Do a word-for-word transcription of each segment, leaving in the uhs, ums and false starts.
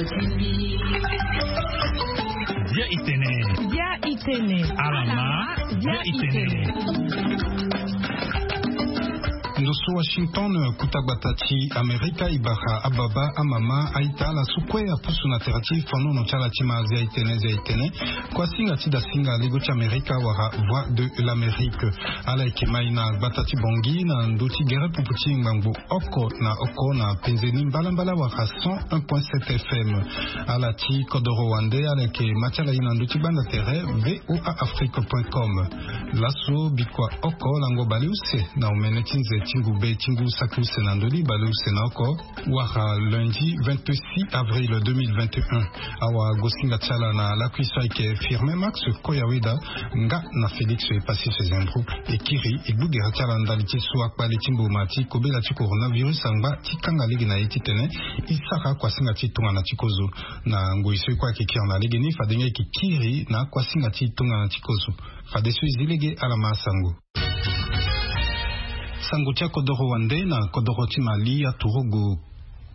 Bia itene. Bia itene. Alama. Bia itene. Ndo so Washington, kuta gbata ti Amerika, e bara ababa, amama, aita, ala so kue apusu na tere ti fanono ti ala ti ma. Zia itene, zia itene. Kuasinga ti dasinga lego ti Amerika wala Voix de l'Amérique. Ala yeke mai na gbata ti Bangui na ndö ti gere pupu ti ngbangbo oko na oko na penze ni mbalambala wala cent un point sept F M. Ala ti kodoro wande, ala yeke ma ti ala ye na ndö ti gbanda tere V O A Afrique point com. Laso bikua oko lango baleuse na omene ti nze ti ngube ti ngu saki use na ndö ni baleuse na oko wala lundi vingt-six avril deux mille vingt et un. Awagosinga ti ala na lakui so ayeke Firmin Max Koyaweda, nga na Félix Epassis Sezembro, e kiri e gbu gere ti ala ndali ti so akpale ti mboma ti kobela ti coronavirus angba ti kanga lege na ye titene e sara kuasinga ti tongana ti kozo. Na ngoi so e kue ayeke kiri na legeni, fade nga e yeke kiri na kuasinga ti tongana ti kozo. Fadeso e zi lege, ala ma sango. Sango ti akodoro wande na kodoro ti Mali, aturugu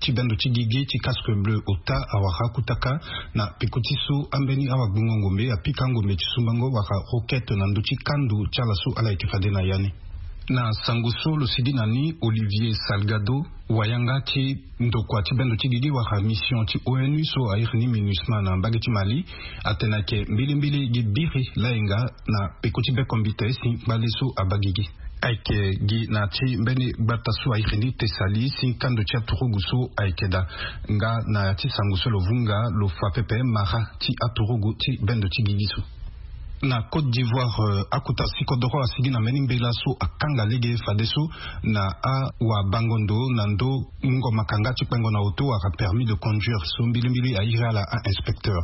ti bendo ti gigi ti casque bleu ota awara akutaka na peko ti so ambeni awagbongo ngombe apika ngombe ti sumbango wala roquette na ndö ti kando ti ala so ala yeke fade na ya ni. Na sango so lo sigi na ni, Olivier Salgado, wayanga ti ndokua ti bendo ti gigi wala mission ti O N U so a iri ni MINUSMA na mbage ti Mali, atene ayeke mbilimbili gi biri layenga na peko ti bekombite si ngbale so abaa gigi. Ayeke gi na ti mbeni gbata so a iri ni Tessali si kando ti aturugu so ayeke daa. Nga na ya ti sango so lo vunga, lo fa pepe mara ti aturugu ti bendo ti gigi so. Na Côte d'Ivoire, eh, akota si kodoro asigi na mbeni mbela so akanga lege fadeso na awabango ndo na ndo mungo makanga ti kpengo na auto wala permis de conduire so mbilimbili a iri ala a-inspecteur.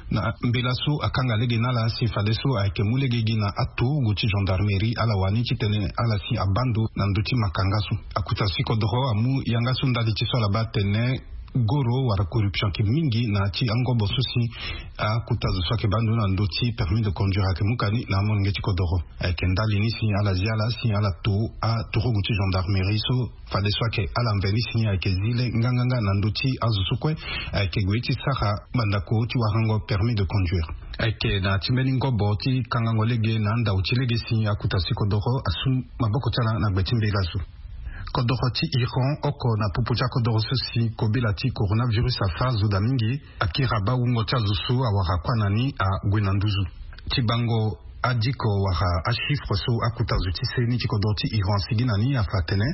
Na mbela so akanga lege na ala si fadeso ayeke mu lege gi na aturugu ti gendarmerie, ala wani titene ala si abaa ndo na ndö ti makanga so. Akota si kodoro amu yanga so ndali ti so ala baa atene goro wala corruption ayeke mingi na ya ti angobo so si akuta zo so ayeke baa ndo na ndö ti permis de conduire ayeke mu kani na amolenge ti kodoro. Ayeke ndali ni si ala zi ala si ala to aturugu ti gendarmerie so fadeso ayeke ala mveni si ni ayeke zi le nganganga na ndö ti azo so kue ayeke gue ti sara mandako ti warango permis de conduire. Ayeke na ya ti mbeni ngobo ti kangango lege na andau ti lege si akuta si kodoro asu maboko ti ala na gbe ti mbela so. Kodoro ti Iran oko na popo ti akodoro so si kobela ti coronavirus afa azo daa mingi, akiri abaa wungo ti azo so awara kuâ na ni ague na nduzu. Ti bango adiko wala achiffre so akuta zo ti seni ti kodoro ti Iran asigi na ni afa atene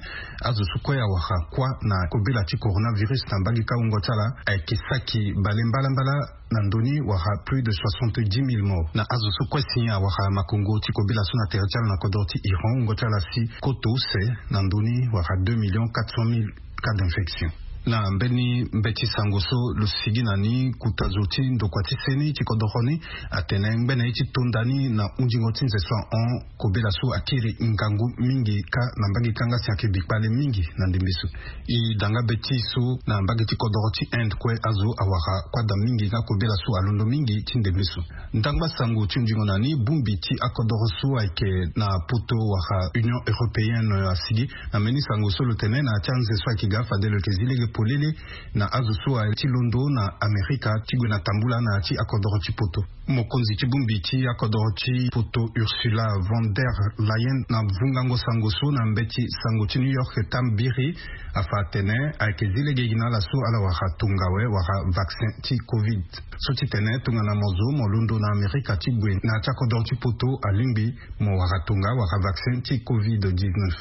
azo so kue awara kuâ na kobela ti coronavirus na mbage kâ wungo ti ala ayeke saki bale mbalambala na ndö ni wala plus de soixante-dix mille morts. Na azo so kue si awara makongo ti kobela so na tere ti ala na kodoro ti Iran, wungo ti ala si koto use na ndö ni wala deux millions quatre cent mille cas d'infection. Na mbeni mbeti sango so lo sigi na ni, kuta zo ti ndokua ti seni ti kodoro ni atene ngbene ye ti tonda ni na hunzingo ti nze so ahon, kobela so akiri ngangu mingi kâ na mbage ti yanga si ayeke bi kpale mingi na ndembe so. E da nga be ti so na mbage ti kodoro ti Inde kue azo awara kuâ daa mingi nga kobela so alondo mingi ti ndembe so. Ndangba sango ti hunzingo na ni, bongbi ti akodoro so ayeke na poto wala Union européenne asigi na mbeni sango so lo tene na ya ti anze so ayeke ga fade lo yeke zi lege polele na azo so aye ti londo na Amerika ti gue na tambula na ya ti akodoro ti poto. Mokonzi ti bongbi ti akodoro ti poto Ursula von der Leyen na vungango sango so na mbeti sango ti New York tambiri afa atene ayeke zi lege gi na ala so ala wara tongawe wala vaccin ti covid. So ti tene tongana mo zo mo londo na Amerika ti gue na ya ti akodoro ti poto alingbi mo wara tonga wala vaccin ti covid dix-neuf.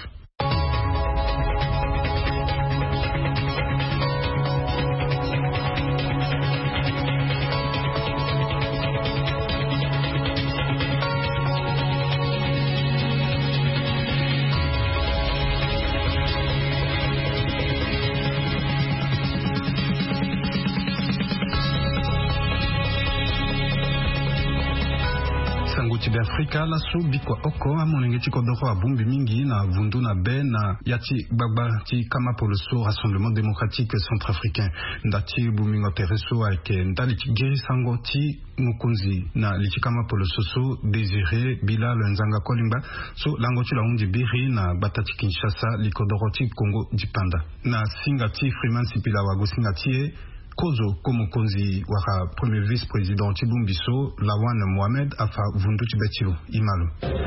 Sango ti Beafrika, laso bikua oko amolenge ti kodoro abongbi mingi na vundu na be na ya ti gbagba ti kama poloso Rassemblement Démocratique Centrafricain. Nda ti bongbingo tere so ayeke ndali ti girisango ti mokonzi na li ti kama poloso so, Désiré Bilal Nzanga Kolingba, so lango ti lo ahundi biri na gbata ti Kinshasa, li kodoro ti Kongo dipanda. Na singa ti Freeman Sipila wagosinga ti e, kozo ko mokonzi wala premier vice-président ti bongbi so, Lawan Mohamed, afa vundu ti be ti lo. Imalo.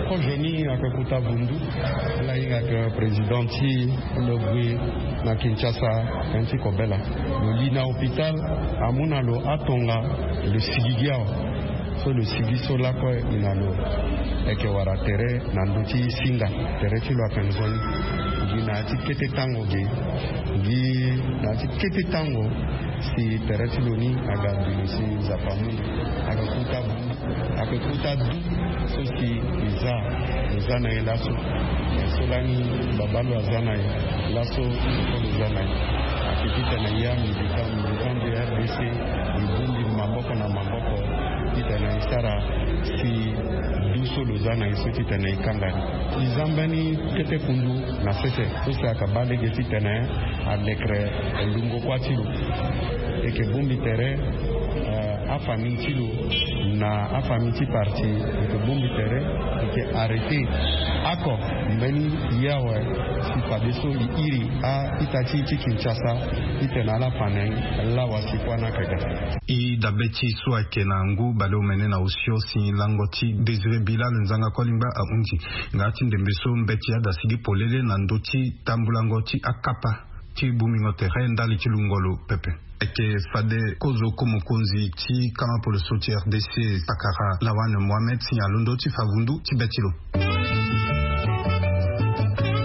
Kozo ni ayeke kota vundu. Ala hinga ayeke président ti lo gue na Kinshasa, tënë ti kobela. Lo li na hôpital, amu na lo atonga, lo sigi gi awa. So lo sigi so lakue e na lo, e yeke wara tere na ndö ti singa. Tere ti lo ayeke nzoni. Gi na ya ti kete tango ge. Gi na ya ti kete tango si tere ti lo ni aga dulu si Nzapa amu. Aga kuta bu. Ayeke kota du so si e za, e za na e laso. So lani baba lo aza na e laso, so lo za na e. Ayeke titene ya militant, militant du R D C, e bongbi maboko na maboko titene e sara si du so lo za na e so titene e kanga ni. E za mbeni kete kundu na sese so si ayeke baa lege titene alekere lungo kuâ ti lo. E yeke bongbi tere, eh, afamille ti lo na afamille ti parti, e yeke bongbi tere, e yeke arrêté oko mbeni ye awe si fadeso e iri a-ita ti e ti Kinshasa titene ala fa na e lawa si kuâ ni ayeke ga. E dabe ti e so ayeke na ngu baleomene na osio si lango ti Désiré Bilal Nzanga Kolingba ahunzi. Nga ti ndembe so mbeti adasigi polele na ndö ti tambulango ti akapa ti bongbingo tere ndali ti lungo lo pepe. Ayeke fade kozo ko mokonzi ti kama poloso ti R D C, pakara Lawan Mohamed, si alondo ti fa vundu ti be ti lo.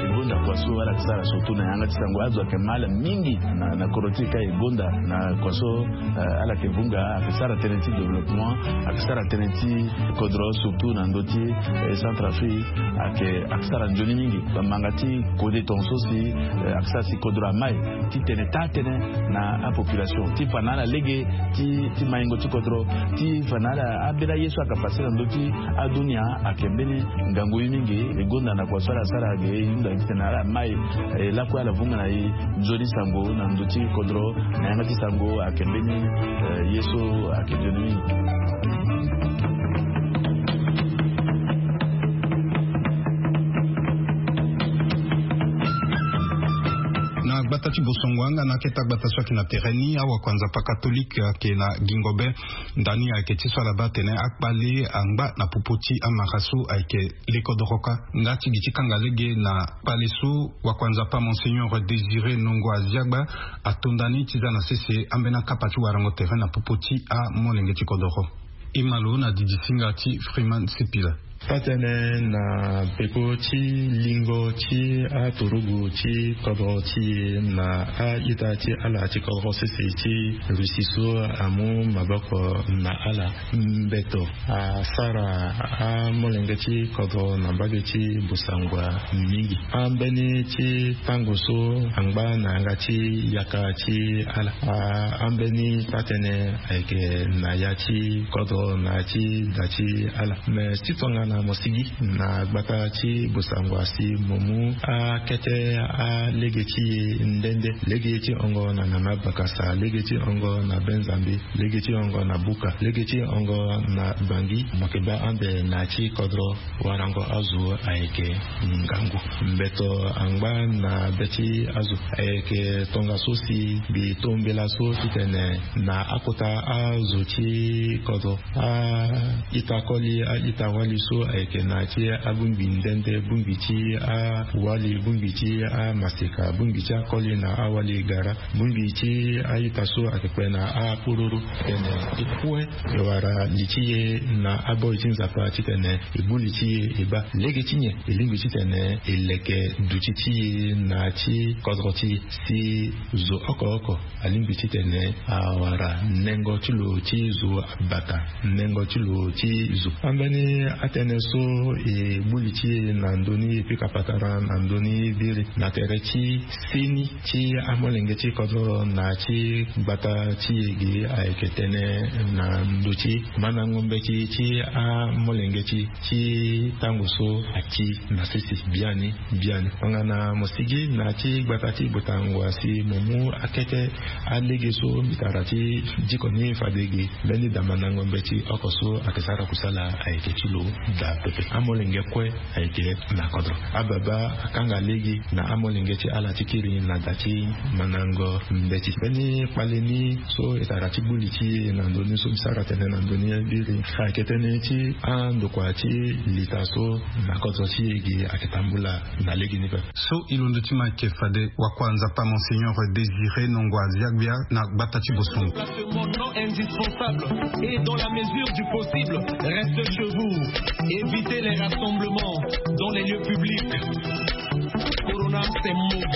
E gonda kua so ala yeke sara surtout na yanga ti sango. Azo ayeke mal mingi na, na kodro ti e ka e gonda na kua so, eh, ala yeke vunga, ayeke sara tënë ti développement, ayeke sara tënë ti kodro surtout na ndö ti, eh, Centrafrique, ayeke, ayeke sara nzoni mingi. Bamanga ti kode tongaso si, eh, ayeke sara si kodro amai titene taa tënë na apopulation ti fa na ala lege ti, ti maingo ti kodro, ti fa na ala ambeni aye so ayeke pase na ndö ti adunia ayeke mbeni ngangu ye mingi. E gonda na kua so ala sara ge e hunda titene ala mai, eh, lakue ala vunga na e nzoni sango na ndö ti kodro na yanga ti sango ayeke mbeni, eh, ye so ayeke nzoni mingi. Na gbata ti Bosongo anga na akete agbata so ayeke na tere ni, awakuanzapa katolike ayeke na gingo be. Ndani ayeke ti so ala baa atene akpale angba na popo ti amara so ayeke lekodoro kâ. Nga ti gi ti kanga lege na kpale so, wakuanzapa Monseigneur Désiré Nongo Aziagba atonda ni ti za na sese ambeni akapa ti warango tere na popo ti amolenge ti kodoro. E ma lo na didi singa ti Freeman Sipila. Taa-tënë na peko ti lingo ti aturugu ti kodro ti e na a-ita ti ala ti kodro sese ti Russie so amu maboko na ala. Mbeto asara amolenge ti kodro na mbage ti Bosangwa mingi. Ambeni ti tango so angba na yanga ti yaka ti ala. A, ambeni taa-tënë ayeke na ya ti kodro na ya ti da ti ala. Me ti tongana mo sigi na gbata ti Bosangwa si mo mu akete alege ti e nde nde. Lege ti hongo na Nana Bakasa, lege ti hongo na Benzambi, lege ti hongo na Buka, lege ti hongo na Bangi, mo yeke baa ande na ya ti kodro warango azo ayeke ngangu. Mbeto angba na be ti azo ayeke tongaso si mbi to mbela so titene na akota azo ti kodro, a-ita koli, a-ita wali so ayeke na ya ti abongbi nde nde, bongbi ti awali, bongbi ti amaseka, bongbi ti akoli na awali gara, bongbi ti a-ita so ayeke kpe na akpororo. Tene e kue e wara li ti e na aboi ti Nzapa titene e bu li ti e e baa. Lege ti nyen? E lingbi titene e leke duti ti e na ya ti kodro ti e si zo oko oko alingbi titene awara nengo ti lo ti zo abata, nengo ti lo ti zo. Ambeni atënë so e bu li ti e na ndö ni e pika patara na ndö ni biri na tere ti seni ti amolenge ti kodro na ya ti gbata ti e ge ayeke tënë na ndö ti mandango mbeti ti amolenge ti e ti tango so ati na sese biani biani. Tongana mo sigi na ya ti gbata ti Botangwa si mo mu akete alege so mbi tara ti diko ni fade ge, mbeni da mandango mbeti oko so ayeke sara kusala ayeke ti lo. Daa pepe amolenge kue ayeke na kodro. Ababa akanga lege na amolenge ti ala ti kiri na da ti mandango mbeti. Mbeni kpale ni so e sara ti gbu li ti e na ndoni so mbi sara tene na ndoni biri ayeke tënë ti andokua ti lita so na kodro ti e gi ayeke tambula na lege ni pepe. So e londo ti ma ayeke fade wakua nzapa Monseigneur Désiré Nongo Aziagbia na gbata ti Bosongo. Mon nom indispensable et dans la mesure du possible, reste chez vous. Évitez les rassemblements dans les lieux publics. Corona, c'est mauvais.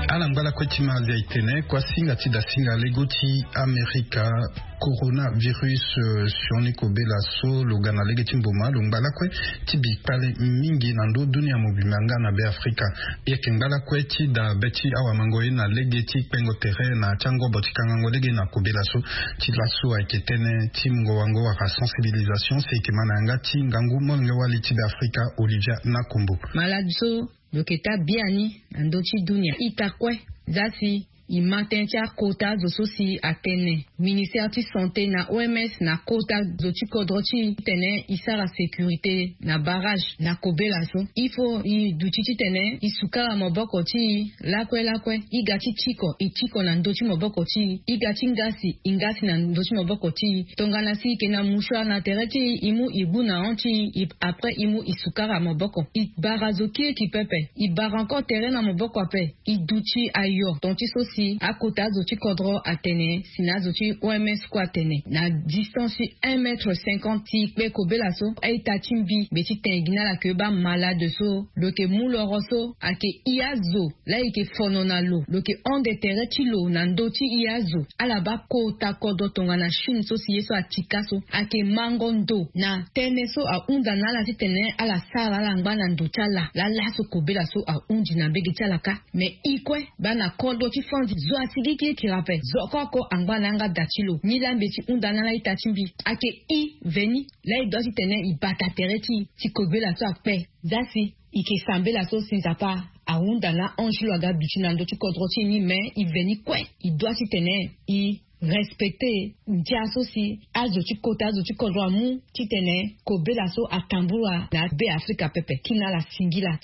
Ala ngba lakue ti ma azia e tene kua singa ti da singa lego ti Amerika. Coronavirus sioni kobela so lo ga na lege ti mboma lo ngba lakue ti bi kpale mingi na ndö dunia mobimba nga na be Afrika. E yeke ngba lakue ti da be ti awamango ye na lege ti kpengo tere na ti angobo ti kangango lege na kobela so. Ti laso ayeke tënë ti mungo wango wala sensibilisation si e yeke ma na yanga ti ngangu molenge wali ti be Afrika Olivia Nakombo. Malade so lo yeke taa biani na ndö ti dunia ita kue. Za si e ma tënë ti akota zo so si atene ministère ti santé na O M S na kota zo ti kodro ti e titene e sara sécurité na barrage na kobela so. Il faut e duti titene e sukara maboko ti e lakue lakue. E ga ti tiko e tiko na ndö ti maboko ti e. E ga ti ngasi e ngasi na ndö ti maboko ti e. Tongana si e yeke na mouchoir na tere ti e e mu e gbu na hon ti e. Après e mu e sukara maboko. E bara zo kiriki pepe. E bara encore tere na maboko ape. E duti ayo ton ti so si akota azo ti kodro atene si na azo ti O M S kue atene na distance ti un mètre cinquante ti kpe kobela so. A-ita ti mbi mbi ti tene gi na ala ke baa malade so lo yeke mu loro so ayeke i azo laa e yeke fono na lo lo yeke hon-de tere ti lo na ndö ti i azo. Ala baa kota kodro tongana Chine so si ye so atika so ayeke mango ndo na tënë so ahunda na ala titene ala sara ala ngba na ndo ti ala laa laso kobela so ahundi na mbege ti ala kâ. Me i kue baa na kodro ti fandi zo asigikirikiri ape zo oko oko angba na yanga da ti lo ni laa mbi ti hunda na ala ita ti mbi. Ayeke i veni laa e doit titene e bata tere ti e ti kobela so akpe. Za si e yeke sambela so si Nzapa ahunda na ange ti lo aga duti na ndö ti kodro ti e ni me e veni kue e doit titene e respecte ndia so si azo ti kota azo ti kodro amu titene kobela so atambula na be Afrika pepe. Kiri na ala singila.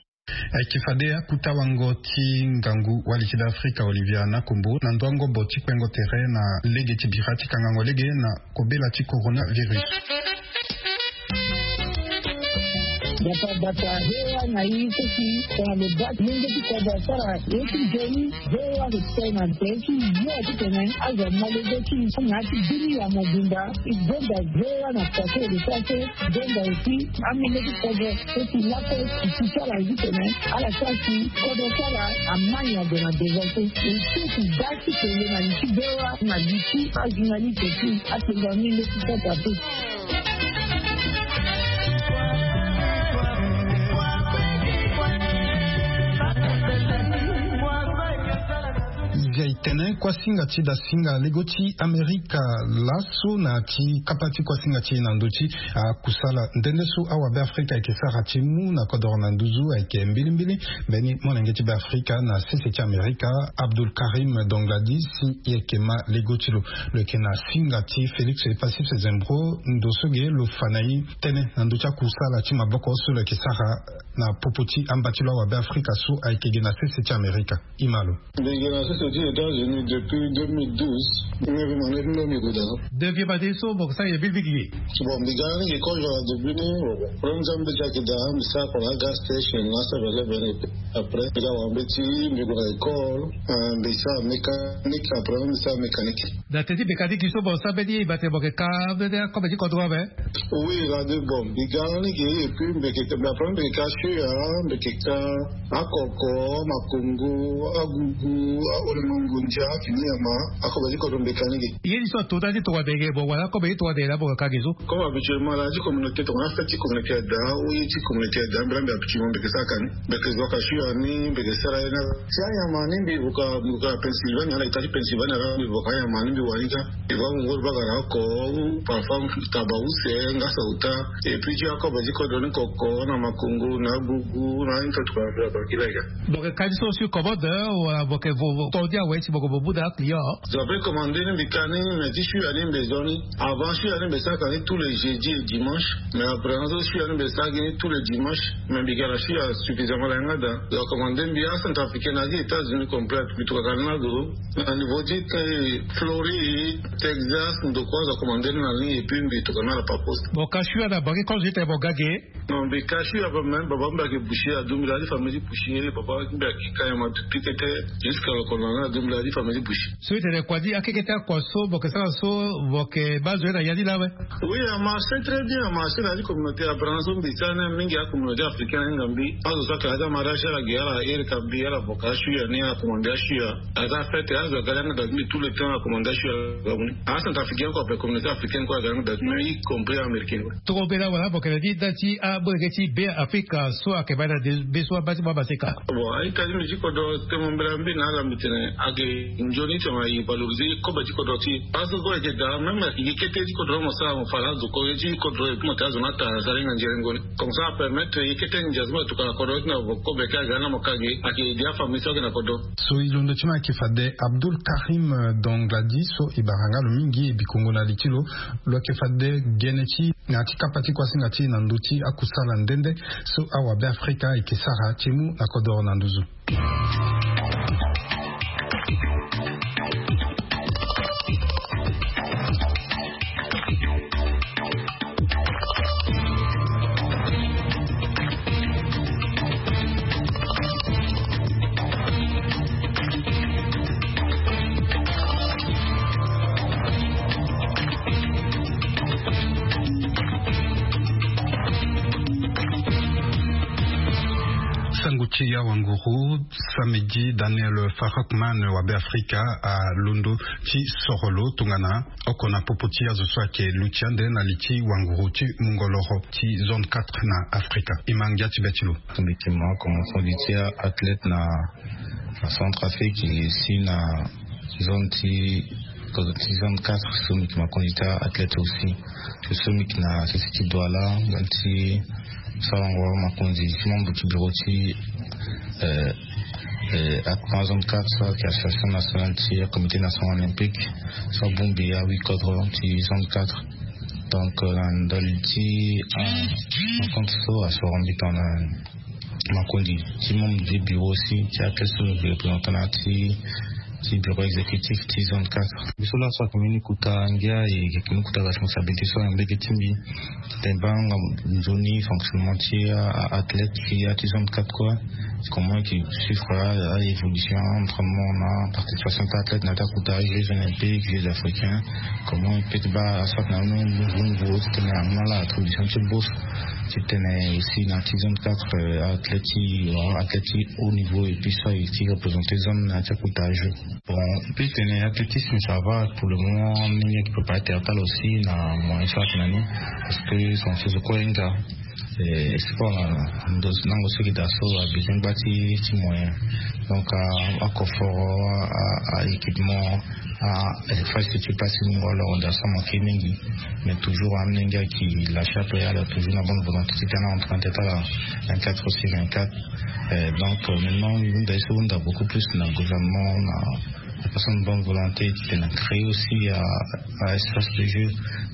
Ayeke fade akuta wango ti ngangu wali ti be Afrika Olivia Nakombo na ndö angobo ti kpengo tere na lege ti bira ti kangango lege na kobela ti coronavirus. Bata bata hewa na i so si tongana lo baa ti mungo ti kodro asara ye ti nzoni. Hewa lo tene na nzoni ti yo titene azo amalege ti na ya ti bini ya mobimba. E gonda hewa na kua so lo sara so. Gonda aussi amalege ti kodro so si lakue e si ti ala titene ala sara si kodro ti ala amai ague na devant so. E so si baa ti kele na li ti hewa na li ti ajournaliste aussi. Atenga ni le ti sata pe. Nzia e tene kuasinga ti dasinga lego ti Amerika laso na ti kapa ti kuasinga ti e na ndö ti akusala nde nde so awabe Afrika ayeke sara ti mu na kodoro na nduzu ayeke mbilimbili. Mbeni molenge ti be Afrika na sese ti Amerika, Abdul Karim Dongladi, si e yeke ma lego ti lo. Lo yeke na singa ti Félix Passif Zembro ndo so ge lo fa na e tënë na ndö ti akusala ti maboko so lo yeke sara na popo ti amba ti lo awabe Afrika so ayeke ge na sese ti Amerika. E ma lo. Mbi yeke na sese ti États-Unis depuis deux mille douze. Mbi mbi mane ti mbi mbi gue daa. Depuis bade so mo yeke sara ye bilbili ge. Bon, mbi ga ni ge kozo na début ni. Problème ti ambeti ayeke daa, mbi sara kua na agas station na asara vele vele. Après mbi ga wara mbeti, mbi gue na école. Mbi sara mécanique, après mbi sara mécanique. Na teti mécanique so mo sara mbeni ye e baa tene mo yeke ka mbeni akobe ti kodro ape. Oui, radio, bon, mbi ga ni ge, et puis mbi yeke, mais après mbi yeke ka sio ya, mbi yeke ka akoko, makongo, agugu, aolemongo, ndia, fini nyama, akobe ti kodro mbi yeke ka ni ge. Ye ni so ato ndani tongana mbi yeke mo wara akobe ti tongana mbi yeke na mo yeke ka ge so. Comme habituellement la ti communauté tongana afête ti communauté ada ou ye ti communauté ada, mbi la mbi habituellement mbi yeke sara ka ni. Mbi yeke zo ka sio ya ni, mbi yeke sara ye na. Si anyama ni mbi vuka, mbi vuka Pennsylvania, ala ita ti Pennsylvania la mbi vuka anyama ni mbi wara ni ka. Mbi va mu ngoro bagara oko, ou parfois taba use, nga sauta. Et puis ti akobe ti kodro ni koko, na makongo, na agugu, na ani tokua mbi abakila ya. Mo yeke ka ni so sur commande, wala mo yeke vo, vo, to ni awe ti Boko bobuda client. Zo ape commande ni mbi ka ni, mais ti shuya ni mbi zo ni. Avant shuya ni mbi saka ni tous les jeudis et dimanches. Mais après zo shuya ni mbi saka ni tous les dimanches. Mais mbi ga na shuya suffisamment la yanga da. Zo commande mbi a Centrafricain na gi États-Unis complète. Mbi tuka ka ni na zo. Na niveau ti Floride, Texas, ndokua zo commande ni na ligne et puis mbi tuka na la par poste. Bon, ka shuya na bangi comme j'étais bon gage. Non, mbi ka shuya ba même baba mbi ake boucher, adu mbi la di famille ti boucher, baba mbi ake ka yama depuis tete jusqu'à le colonel, adu mbi la di famille ti boucher. So itene kua di akekete akua so boke sara so boke bazo ye na ya di la we. Oui, a marché très bien, a marché na di communauté a Branson mbi sa na mingi a communauté africaine nga mbi. Azo sa ka ada mara sha la ge ala ere ka mbi ala boka shuya ni a commande shuya. Aza fête azo gala nga da mbi tout le temps a commande shuya. A Centrafricain quoi, pe communauté africaine quoi, gala nga da mbi, y compris américain quoi. Toro bela wala bokele di da ti abodege ti be Afrika so ayeke baa na de be so abaa ti baa maseka. Bon, aita ti mbi ti kodro temo mbela mbi na ala mbi tene ayeke nzoni ti tene aye valoriser kobe ti kodro ti e. Parce que ayeke daa même ayeke kete ti kodro mo sara mo fa la zo ko ye ti kodro et puis mo tene azo ni ata aza lenga nzere ngoni. Comme ça apermettre ye kete ndia so mo tuka na kodro ti na kobe ka aga na mo ka ge ayeke dia famille so ayeke na kodro. So e londo ti ma ayeke fade Abdul Karim Dongladi so e bara nga lo mingi e bikongo na li ti lo. Lo yeke fade gene ti na ya ti kapa ti kuasinga ti e na ndö ti akusala nde nde so awabe Afrika ayeke sara ti mu na kodoro na nduzu. Sango ti awanguru, samedi Daniel Farakman wabe Afrika alondo ti soro lo tongana oko na popo ti azo so ayeke luti ande na li ti wanguru ti mungoloro ti zone quatre na Afrika. E ma ngia ti be ti lo. Mbi yeke ma commencement du ti athlète na na Centrafrique, si na zone ti, ti zone quatre so mbi yeke ma kondi ti athlète aussi. So mbi yeke na sese ti Douala, zone ti Salongo, ma kondi ti membre ti bureau ti, euh, euh, na zone quatre so ayeke association nationale ti comité national olympique so abongbi ahuit kodro ti zone quatre. Donc, euh, na ndali ti, euh, rencontre so asoro mbi tongana ma kondi ti membre du bureau aussi ti athlète so mbi représentant na ti, ti bureau exécutif ti zone quatre. Mbi so laso ayeke mbeni kota ngia e yeke mbeni kota responsabilité so ayeke mbege ti mbi. Tene baa nga nzoni fonctionnement ti athlète ti ya ti zone quatre kue. Comment e yeke suivre a évolution, entraînement na participation ti athlète na ti akota jeux olympiques, jeux africains. Comment e peut ti baa aswat na un nouveau niveau ti tene amu na ala attribution ti bourse ti tene aussi na ti zone quatre, euh, athlète ti, euh, athlète ti haut niveau et puis so aye ti représenter zone na ti akota jeux. Bon, e peut tene athlétisme ça va pour le moment, amolenge ayeke préparer terre ti ala aussi na moyen so ayeke na ni. Parce que son so zo kue hinga, eh, sport na ndo nango so ayeke daa so abesoin gba ti, ti moyen. Donc a, a confort, a, a équipement, a, eh, infrastructure place ti mungo alors daa so amanke mingi. Mais toujours amolenge ayeke lâcher ape, ala toujours na bonne volonté ti tene a entraîner tene ala vingt-quatre sur vingt-quatre. Euh, donc, euh, maintenant, hunda ye so hunda beaucoup plus na gouvernement, na, na personne bonne volonté ti tene créer aussi, euh, un espace de jeu,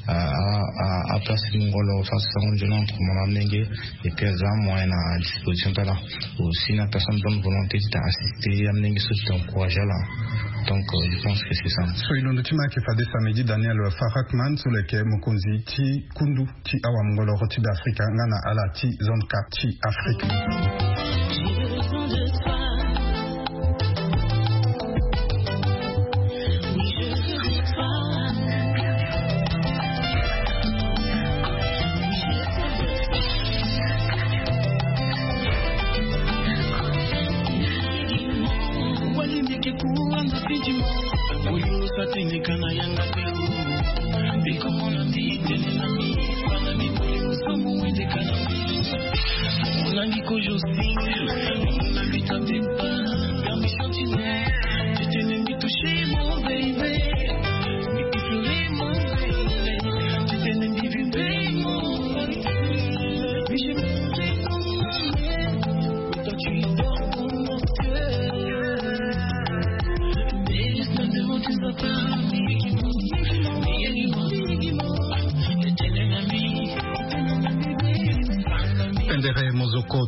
euh, à, à, à place ti ngolo, place ti sango nzoni entre mon amolenge, et puis aza moyen na disposition ti ala. Aussi na personne bonne volonté ti tene assister amolenge so ti tene encourager ala. Donc, euh, je pense que c'est ça. So e londo ti ma ayeke fade samedi Daniel Farakman so lo yeke mokonzi ti kundu ti awamungoloro ti Beafrika nga na ala ti zone quatre ti Afrika. Oyo satindika na yanga te o. Bikomona ndi tene na mi, bana bikoli musomo wendeka na mi. Olangi kojo single, olangi tatepa, permission tine. Titene mi toucher mon baby, mi toucher mon baby. Titene mi vivre mon baby. Mi je m'aime comme un homme. Toi tu dors dans mon cœur.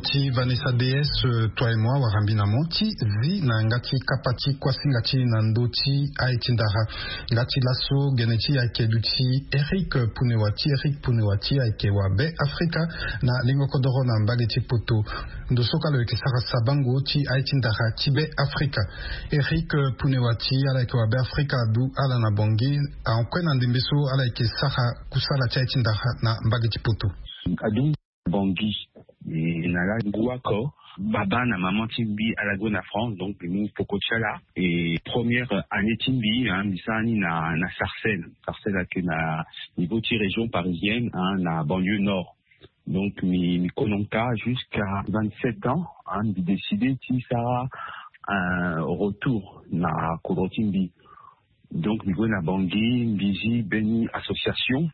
Ti Vanessa DS, toi et moi, wara mbi na mo ti zi na yanga ti kapa ti kuasinga ti na ndö ti aye ti ndara. Nga ti laso gene ti ayeke duti Eric Punewa ti Eric Punewa ti ayeke wa Be Afrika na lingo kodoro na mbage ti poto. Ndo so ka lo yeke sara sabango ti aye ti ndara ti Be Afrika. Eric Punewa ti ala yeke wa Be Afrika adu ala na Bangui. Ahon kue na ndembe so ala yeke sara kusala ti aye ti ndara na mbage ti poto. Adu Bangui. E na la ngu oko baba na maman ti mbi ala gue na France, donc mbi mu poko ti ala. E première année ti mbi, hein, mbi sara ni na, na Sarcelles. Sarcelles ayeke na niveau ti région parisienne, hein, na banlieue nord. Donc mbi, mbi kono ka jusqu'à vingt-sept ans, hein, mbi décidé ti sara un retour na kodro ti mbi. Donc mbi gue na Bangui, mbi zi mbeni association.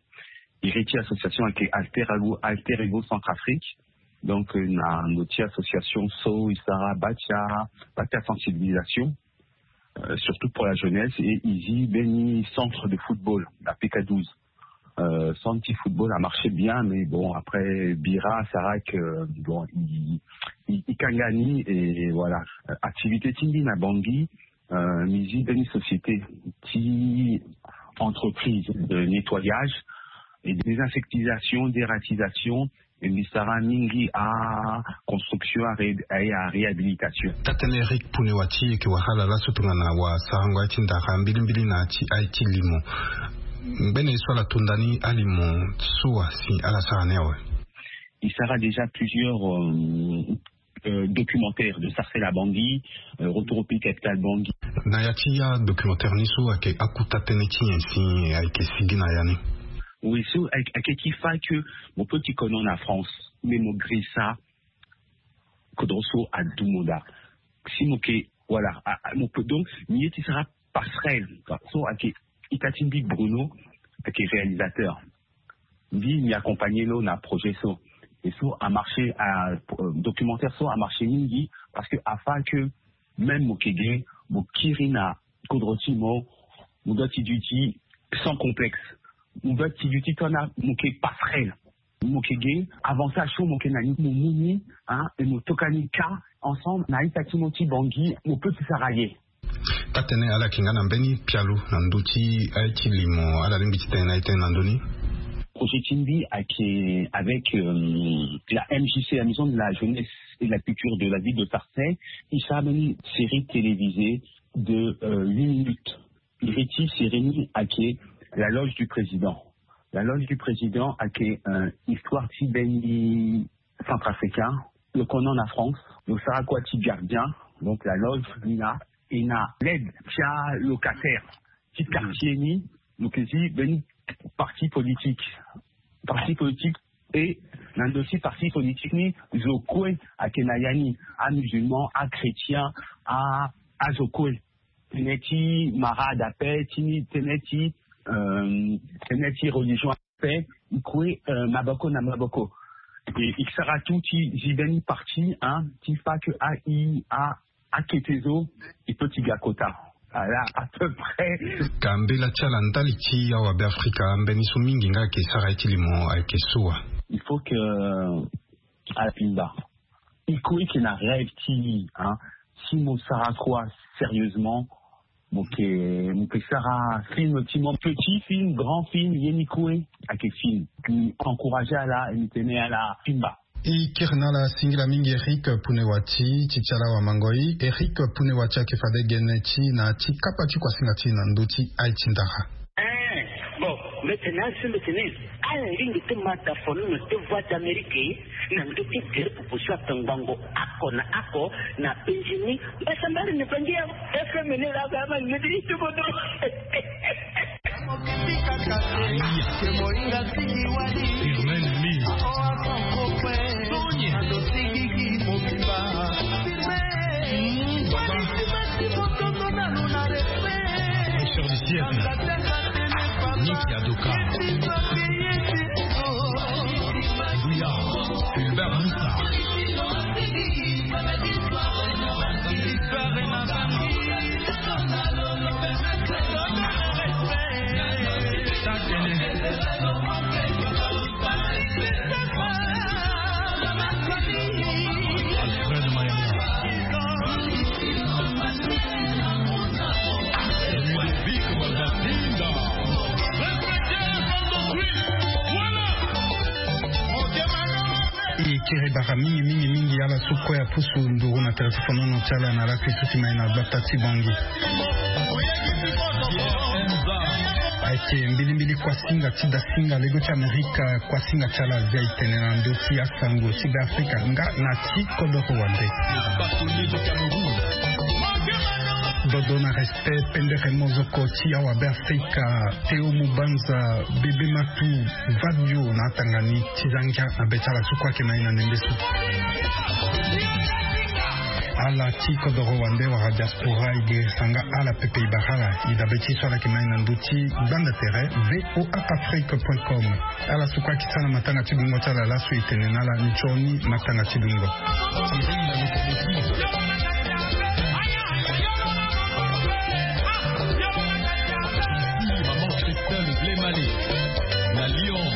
Iri ti association ayeke Alter Ego, Alter Ego Centrafrique. Donc euh, na ndo ti association so e sara bâ ti a, bâ ti a sensibilisation, euh, surtout pour la jeunesse, et e zi mbeni centre de football, la P K douze. Euh, centre ti football a marché bien, mais bon, après bira sara que, bon, e, e, e kanga ni, et voilà. Euh, activité ti mbi na Bangui, euh, mbi zi mbeni société ti entreprise de nettoyage et désinsectisation, dératisation, e mbi sara mingi aconstruction, a ré-, a réhabilitation. Taa-tënë Eric Punewa ti e yeke wara ala laso tongana wasarango aye ti ndara mbilimbili na ya ti aye ti limo. Ngbene ye so ala to nda ni alimo so asi ala sara ni awe? E sara déjà plusieurs, euh, euh, documentaires de Sarcelles à Bangui, euh, Retour au pays capital Bangui. Na ya ti ya documentaire ni so ayeke akota tënë ti nyen si ayeke sigi na ya ni? Oui, so ayeke, ayeke ti fa que mo peut ti kono na France, mais mo girisa kodro so adu mo daa. Si mo yeke, voilà, a, a, mo peut donc, mbi ye ti sara passerelle, quoi. So ayeke ita ti mbi Bruno, ayeke réalisateur. Mbi, mbi accompagné lo na projet so. Et so a marché, a, euh, documentaire so a marché mingi, parce que a fa que même mo yeke ge, mo kiri na kodro ti mo, mo doit ti duti sans complexe. Mo doit ti duti tongana mo yeke passerelle. Mo yeke ge, avantage so mo yeke na ni, mo mu ni, hein, et mo toka ni ka ensemble na ita ti mo ti Bangui, mo peut ti sara ye. Taa-tënë, ala yeke nga na mbeni pialo na ndö ti aye ti limo, ala lingbi ti tene na ye tënë na ndö ni? Projet ti mbi ayeke avec, euh, la M J C, la Maison de la Jeunesse et de la Culture de la ville de Sarcelles, e sara mbeni série télévisée de, euh, huit minutes. Iri ti série ni ayeke La Loge du Président. La Loge du Président ayeke, euh, histoire ti mbeni Centrafricain, lo kono na France, lo sara kua ti gardien, donc la loge ni la, e na l'aide ti alocataire ti quartier ni, lo yeke zi mbeni parti politique. Parti politique, e na ndo ti parti politique ni, zo kue ayeke na ya ni, amusulman, achrétien, a, azo kue. Tënë ti mara adape, ti ni tënë ti, euh, tënë ti religion ape, e kue, euh, maboko na maboko. E, e sara tout ti zi mbeni parti, hein, ti fa que a, i, a, akete zo, e peut ti ga kota. Voilà, à peu près. Ka mbela ti ala ndali ti awabe Afrika, mbeni so mingi nga ayeke sara ye ti limo ayeke so wa? Il faut que, euh, ala pimba. E kue e yeke na rêve ti e, hein. Si mo sara kua sérieusement, mo yeke, mo yeke sara film ti mo, petit film, grand film, ye ni kue ayeke film. Mbi encouragé ala, mbi tene ala pimba. E kiri na ala singila mingi Eric Punewa ti, ti ti ala wamangoi. Eric Punewa ti ayeke fade gene ti na ti kapa ti kuasinga ti na ndö ti aye ti ndara. Eh, bon, mbi tene asi mbi tene ala lingbi ti ma ta fono na ti Voix d'Amérique na ndö ti gere popo so atongbango oko na oko na penzi ni. Mbasambari ni bangi ya F M ni la ga ma ni di itubodo. Firmin Lee. Sonia. Papa. Richard du siècle. Nick Adoka. Bouya. Fulbert Moussa. Mingi mingi mingi ala so kue apusu nduru na tere ti fonono ti ala na lakui so ti mai na gbata ti Bangui. Ayeke mbilimbili kuasinga ti dasinga lego ti Amerika, kuasinga ti ala azia e tene na ndö ti asango ti Beafrika nga na ti kodoro wande. Dodo na respect pendere mozoko ti awa Beafrika, Théo Mubanza, Bébé Matou, Vadio na atanga ni ti za ngia na be ti ala so kue ayeke na e na ndembe so. Ala ti kodoro wande wala diaspora e girisa nga ala pepe e bara ala. E dabe ti e so ala yeke na e na ndö ti gbanda tere V O A Afrique point com. Ala so kue ayeke sara na matanga ti dungo ti ala laso e tene na ala nzoni matanga ti dungo. Maman Christelle Blemale na Lyon.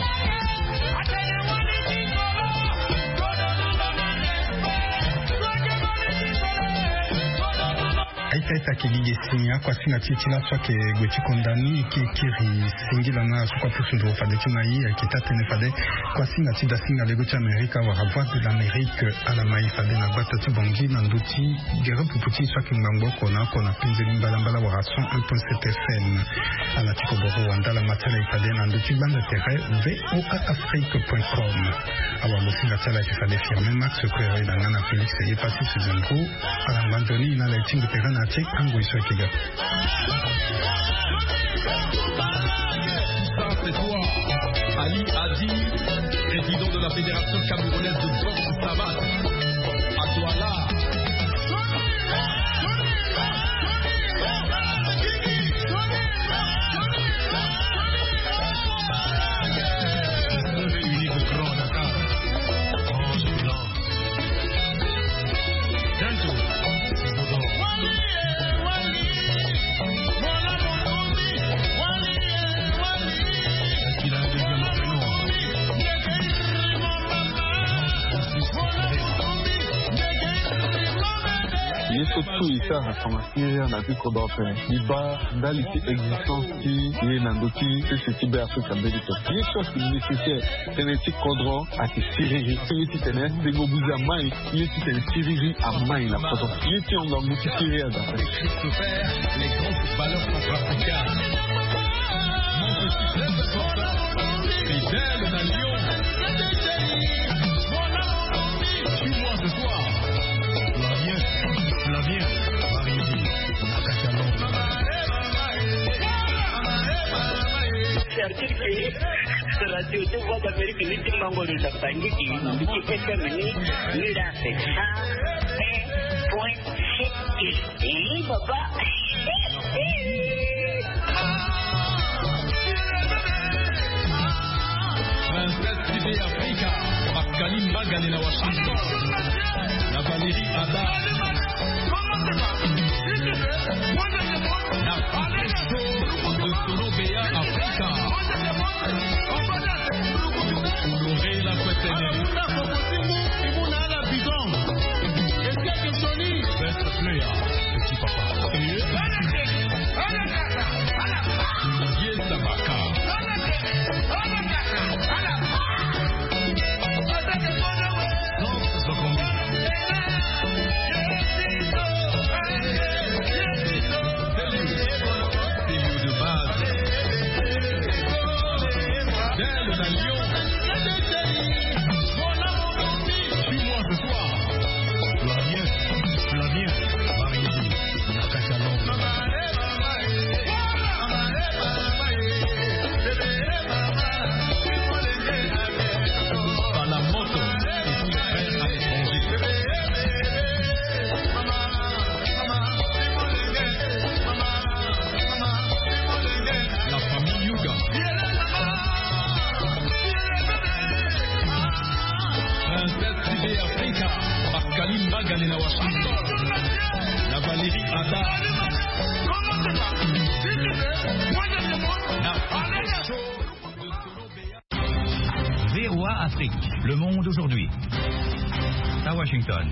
Aita aita, ayeke gi gi si akuasinga ti e ti laso ayeke gue ti konda ni, e ke kiri singila na ala so kue apusu nduru fade ti mai. Ayeke taa tënë fade kuasinga ti dasinga lego ti Amerika wala Voix de l'Amérique ala mai fade na gbata ti Bangui na ndö ti gere pupu ti e so ayeke ngbangbo oko na oko na penze ni mbalambala wala cent un point sept F M. Ala ti kodoro wande ala ma ti ala e fade na ndö ti gbanda tere V O A Afrique point com. Awa, mosinga ti ala ayeke fade Firmin Max Quereda nga na Félix Epassi Suzanne Pro. Ala ngba nzoni na ala e ti ngu tere na ya ti angoi so ayeke ga. Ça, c'est toi. Ali Adi, président de la Fédération camerounaise de boxe savate. À Douala. Seul et unique au Grand Dakar. Ange Blanc. Ye so tout e sara tonga siriri na ti kodro ape. E baa ndali ti existence ti ye na ndö ti sese ti Be Afrika mbeni. Ye so ayeke nécessaire tënë ti kodro ayeke siriri. Ye ti tene tengo buze amai. Ye ti tene siriri amai na kodro. Ye ti hon ngangu ti siriri aza ape. Christopher, les grands footballeurs centrafricains. Mon petit club, Fidèle na Lyon. Suis-moi ce soir. Flavien, Flavien, Marizi, Nakatalon. Certifié. Radio ti Voix d'Amérique ni ti mango ni na Bangui, ni ti F M ni, ni la c'est cent un point six. Eh, papa. Princesse T V Africa, Pascaline Magane na Washington, na Valérie Ada. Na Patricio de Colombia Africa. Honoré la Kwetene. Best player, petit papa. Olivier Sabaka. La famille Yuga. Princesse T V Africa, Pascaline Magane na Washington, na Valérie Ada. V O A Afrique, le monde aujourd'hui. À Washington.